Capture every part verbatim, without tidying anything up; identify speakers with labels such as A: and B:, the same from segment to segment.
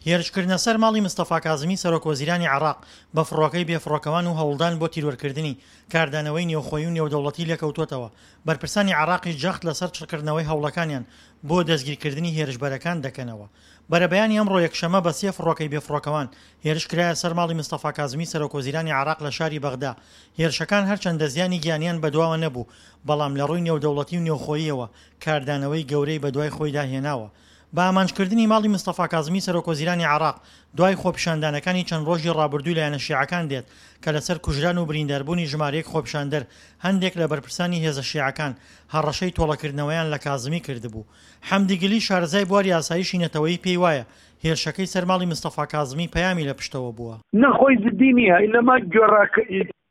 A: هێرشکردنە سەر ماڵی مستەفا کازمی سەرۆک وەزیرانی عێراق بە فڕۆکەی بێفڕۆکەوان و هەوڵدان بۆ تیرۆرکردنی، کاردانەوەی نێوخۆیی و نێودەوڵەتی لێکەوتووەتەوە، بەرپرسانی عێراقیش جەخت لەسەر چڕکردنەوەی هەوڵەکانیان بۆ دەستگیرکردنی هێرشبەرەکان دەکەنەوە. بەرەبەیانی ئەمڕۆ یەکشەممە بە سێ فڕۆکەی بێفڕۆکەوان هێرش کرایە سەر ماڵی مستەفا کازمی سەرۆک وەزیرانی عێراق لە شاری بەغدا. هێرشەکان هەرچەندە زیانی گیانیان بەدواوە نەبوو، بەڵام لە ڕووی نێودەوڵەتی و نێوخۆییەوە کاردانەوەی گەورەی بەدوای خۆیدا هێناوە. بە ئامانجکردنی ماڵی مستەفا کازمی سەرۆکوەزیرانی عێراق دوای خۆپیشاندانەکانی چەند ڕۆژی ڕابردووی لایەنە شیعەکان دێت کە لەسەر کوژران و برینداربوونی ژمارەیەک خۆپیشاندەر هەندێک لە بەرپرسانی هێزە شیعەکان هەڕەشەی تۆڵەکردنەوەیان لە کازمی کردبوو. حەمدی گلی شارەزای بواری ئاسایشی نەتەوەیی پێی وایە هێرشەکەی سەر ماڵی مستەفا کازمی پەیامی لە پشتەوە بووە.
B: نە خۆی جدی نییە، ئینەما گوێڕا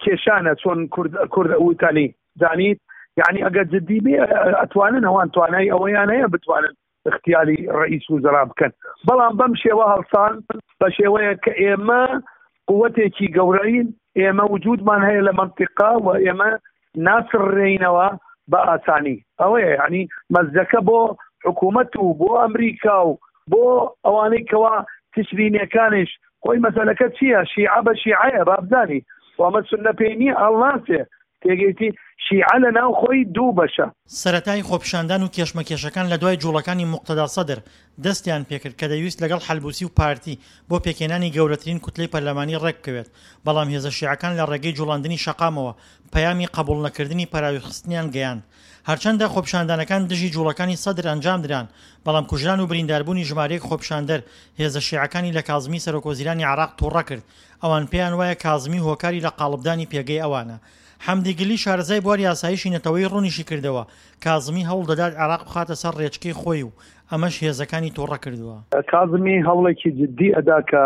B: کێشانە چۆن کورد کورد وتانی زانیت، یعنی ئەگەر جدی بێ ئەتوانن ئەوان توانای ئەوەیان هەیە بتوانن اختیاری ڕئیس وزرا بکەن، بەڵام بەم شێوە هەڵسان بە شێوەیە کە ئێمە قوتێکی گەورەین، ئێمە وجودمان هەیە لە منطقە و ئێمە ناسڕێینەوە بە ئاسانی. ئەوەیە یعنی مەزەکە بۆ حکوومەت و بۆ ئەمریکا و بۆ ئەوانەی کەوا تشرینیەکانیش خۆی مەسەلەکە چییە؟ شیعە بە شیعەیە بابزانی، وامە سوننە پێی نییە هەڵناسێ. تێگەیتی شیعە لە ناو خۆی دوو بەشە.
A: سەرەتای خۆپیشاندان و کێشمەکێشەکان لە دوای جوڵەکانی موقتەدا سەدر دەستیان پێکرد کە دەیویست لەگەڵ حەلبوسی و پارتی بۆ پێکهێنانی گەورەترین کوتلەی پەرلەمانی ڕێکبکەوێت، بەڵام هێزە شیعەکان لە ڕێگەی جوڵاندنی شەقامەوە پەیامی قبوڵنەکردنی پەراویزخستنیان گەیاند. هەرچەندە خۆپیشاندانەکان دژی جوڵەکانی سەدر ئەنجامدران، بەڵام کوژران و برینداربوونی ژمارەیەک خۆپیشاندەر هێزە شیعەکانی لە کازمی سەرۆکوەزیرانی عێراق تووڕە کرد. ئەوان پێیان وایە کازمی هۆکاری لە قاڵبدانی پێگەی ئەوانە. حەمدی گلی شارەزای بواری ئاسایشی نەتەوەیی ڕوونیشی کردەوە کازمی هەوڵ دەدات عێراق بخاتە سەر ڕێچکەی خۆی و ئەمەش هێزەکانی تووڕە کردووە.
B: کازمی هەوڵێکی جدی ئەدا کە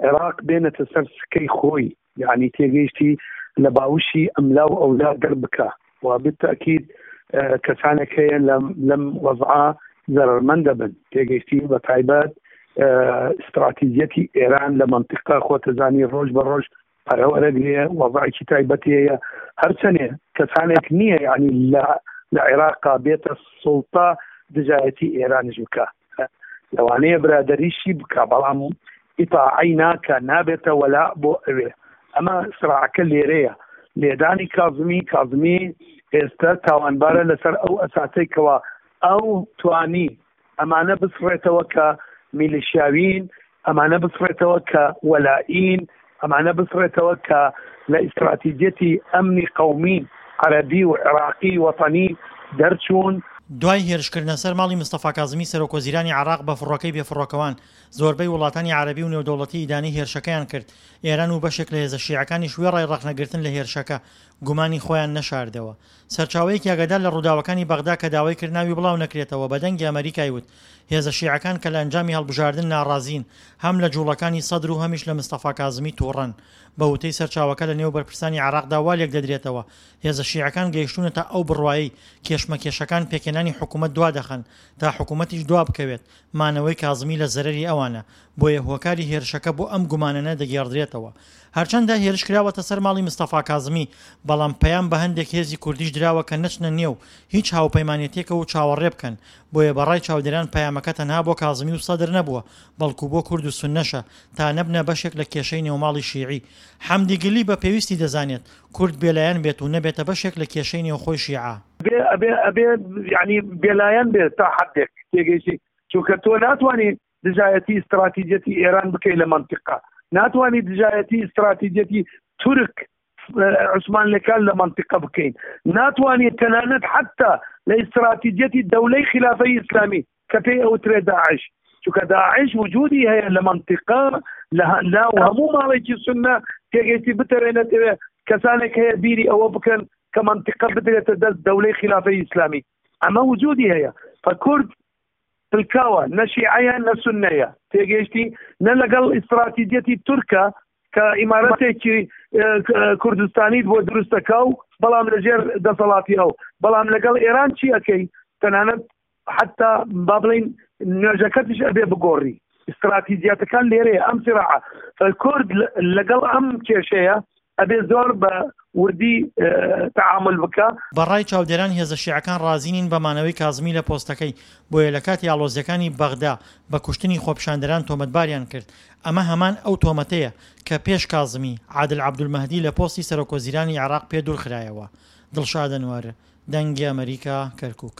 B: عێراق بێنێتە سەر سکەی خۆی، یعنی تێگەیشتی لە باوشی ئەملا و ئەولا دەربکە و بالتأکید کەسانێک هەیە لەم وەزعە زەرەرمەند دەبن. تێگەیشتی بە تایبەت استراتیژیەتی ئێران لە منطقە خۆتەزانی ڕۆژ بە ڕۆژ پەرەوەرەگرێ، وەزعێکی تایبەتی هەیە. هەرچەنێ کەسانێک نییە یعنی لە عێراقا بێتە سوڵتە دژایەتی ئێرانیش بکە، لەوانەیە برادەریشی بکە، بەڵام ئیتاعەی ناکە، نابێتە وەلا بۆ ئەوێ. ئەمە سراعەکە لێرەیە. لێدانی کازمی، کازمی ئێستا تاوانبارە لەسەر ئەو ئەساسەی کەوا ئەو توانی ئەمانە بسڕێتەوە کە میلیشیاوین، ئەمانە بسڕێتەوە کە وەلائین، ئەمانە بسڕێتەوە کە لە ئیستراتیژیەتی ئەمنی قەومی عەرەبی و عێراقی وەتەنی دەرچوون.
A: دوای هێرشکردنە سەر ماڵی مستەفا کازمی سەرۆک وەزیرانی عێراق بە فڕۆکەی بێفڕۆکەوان، زۆربەی وڵاتانی عەرەبی و نێودەوڵەتی ئیدانەی هێرشەکەیان کرد. ئێران و بەشێک لە هێزە شیعەکانیش وێڕای ڕەخنەگرتن لە هێرشەکە گومانی خۆیان نەشاردەوە. سەرچاوەیەکی ئاگادار لە ڕووداوەکانی بەغدا کە داوای کرد ناوی بڵاو نەکرێتەوە بە دەنگی ئەمەریکای وت هێزە شیعەکان کە لە ئەنجامی هەڵبژاردن ناڕازین هەم لە جوڵەکانی سەدر و هەمیش لە مستەفا کازمی تووڕەن. بە وتەی سەرچاوەکە لە نێو بەرپرسانی عێراقدا وا لێک دەدرێتەوە هێزە شیعەکان گەیشتوونەتە ئەو بڕوایەی کێشمەکێشەکان پێکهێنانی حکوومەت دوا دەخەن تا حکوومەتیش دوا بکەوێت، مانەوەی کازمی لە زەرەری ئەوانە، بۆیە هۆکاری هێرشەکە بۆ ئەم گومانەنە دەگێڕدرێتەوە. هەرچەندە هێرش کراوەتە سەر ماڵی مستەفا کازمی، بەڵام پەیام بە هەندێک هێزی کوردیش دراوە کە نەچنە نێو هیچ هاوپەیمانێتێکەوە و چاوەڕێ بکەن، بۆیە بەڕای چاودێران پەیامەکە تەنها بۆ کازمی و سەدر نەبووە، بەڵکو بۆ کورد و سوننەشە تا نەبنە بەشێک لە کێشەی نێوماڵی شیعی. حەمدی گلی بە پێویستی دەزانێت کورد بێلایەن بێت و نەبێتە بەشێک لە کێشەی نێوخۆی شیعە.
B: بێ ئەبێ ئەبێ یعنی بێلایەن بێت تا حدێک تێگەیشتی، چونکە تۆ ناتوانی دژایەتی استراتیژیەتی ئێران بکەی لە منطقە، ناتوانی دژایەتی استراتیژیەتی تورک عوسمانلەکان لە منطقە بکەین، ناتوانی تەنانەت حتا لە استراتیژیەتی دەولەی خلافەی ئیسلامی کە پێی ئەوترێ داعش، چونکە داعش وجودی هەیە لە منطقە لە ناو هەموو ماڵێکی سوننە تێگەیشتی بتەوێنێتەوێ کەسانێک هەیە بیری ئەوە بکەن کە منطقە بدرێتە دەست دەولەی خلافەی ئیسلامی، ئەمە وجودی هەیە. فکورد پلکاوە نە شیعەیە نە سوننەیە، تێگەیشتی نە لەگەڵ ئیستراتیژیەتی تورکە کە ئیمارەتێکی کوردستانیت بۆ دروستەکە و بەڵام لەژێر دەسەڵاتی ئەو، بەڵام لەگەڵ ئێران چی ئەەکەی؟ تەنانەت حتا با بڵین نوێژەکەتیش ئەبێ بگۆڕی. استراتیژیەتەکان لێرەیە ئەم سراعە. فکورد لەگەڵ ئەم کێشەیە ئەبێ زۆر بە وردی تەعامول بکا.
A: بە ڕای چاودێران هێزە شیعەکان ڕازی نین بە مانەوەی کازمی لە پۆستەکەی، بۆیە لە کاتی ئاڵۆزییەکانی بەغدا بە کوشتنی خۆپیشاندەران تۆمەتباریان کرد، ئەمە هەمان ئەو تۆمەتەیە کە پێش کازمی، عادل عەبدولمەهدی لە پۆستی سەرۆکوەزیرانی عێراق پێ دوورخرایەوە. دڵشاد ئەنوەر، دەنگی ئەمەریکا، کەرکوک.